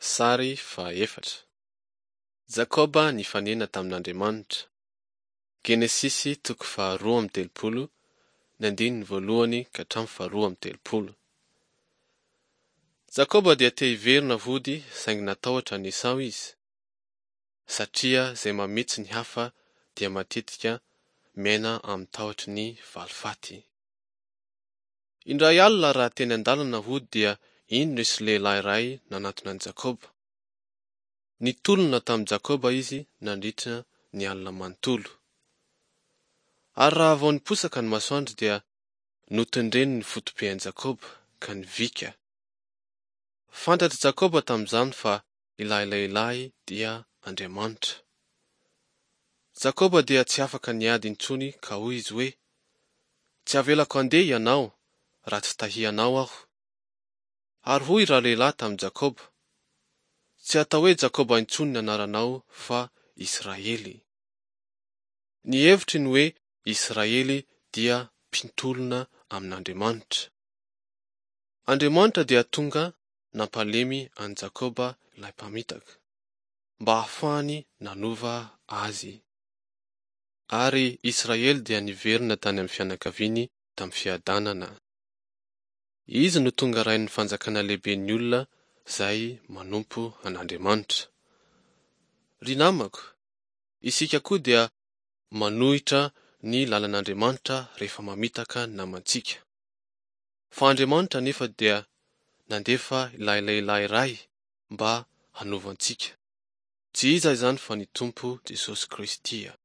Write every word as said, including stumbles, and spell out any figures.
Sary fahaefatra. Jakoba nifanena tamin'Andriamanitra. Genesisy toko faharoa amby telopolo, ny andininy voalohany ka hatramin'ny faharoa amby telopolo. Jakoba dia te hiverina hody saingy natahotra an'i Esao izy, satria izay mamitsy ny hafa dia matetika miaina amin'ny tahotry ny valifaty. Indray alina raha teny an-dalana hody dia indro nisy lehilahy iray nanatona an'i Jakoba. Nitolona tamin'i Jakoba izy nandritra ny alina manontolo. Ary raha vao niposaka ny masoandro dia notendreny ny foto-piain'i Jakoba ka nivika. Fantatr'i Jakoba tamin'izany fa ilay lehilahy dia Andriamanitra. Jakoba dia tsy afaka niady intsony ka hoy izy hoe, Tsy avelako handeha ianao raha tsy tahianao aho. Ary hoy ralehilahy tamin'i Jakoba, Tsy atao hoe Jakoba intsony ny anaranao fa Israely. Ny hevitry ny hoe Israely dia mpitolona amin'Andriamanitra. Andriamanitra dia tonga nampalemy an'i Jakoba ilay mpamitaka, mba hahafahany nanova azy. Ary Israely dia niverina tany amin'ny fianakaviany tamin'ny fiadanana. Izy no tonga rain'ny fanjakana lehiben'ny olona izay manompo an'Andriamanitra. Ry namako, isika koa dia manohitra ny lalan'Andriamanitra rehefa mamitaka ny namantsika. Fa Andriamanitra anefa dia nandefa ilay lehilahy iray mba hanova antsika. Tsy iza izany fa ny Tompo Jesosy Kristy.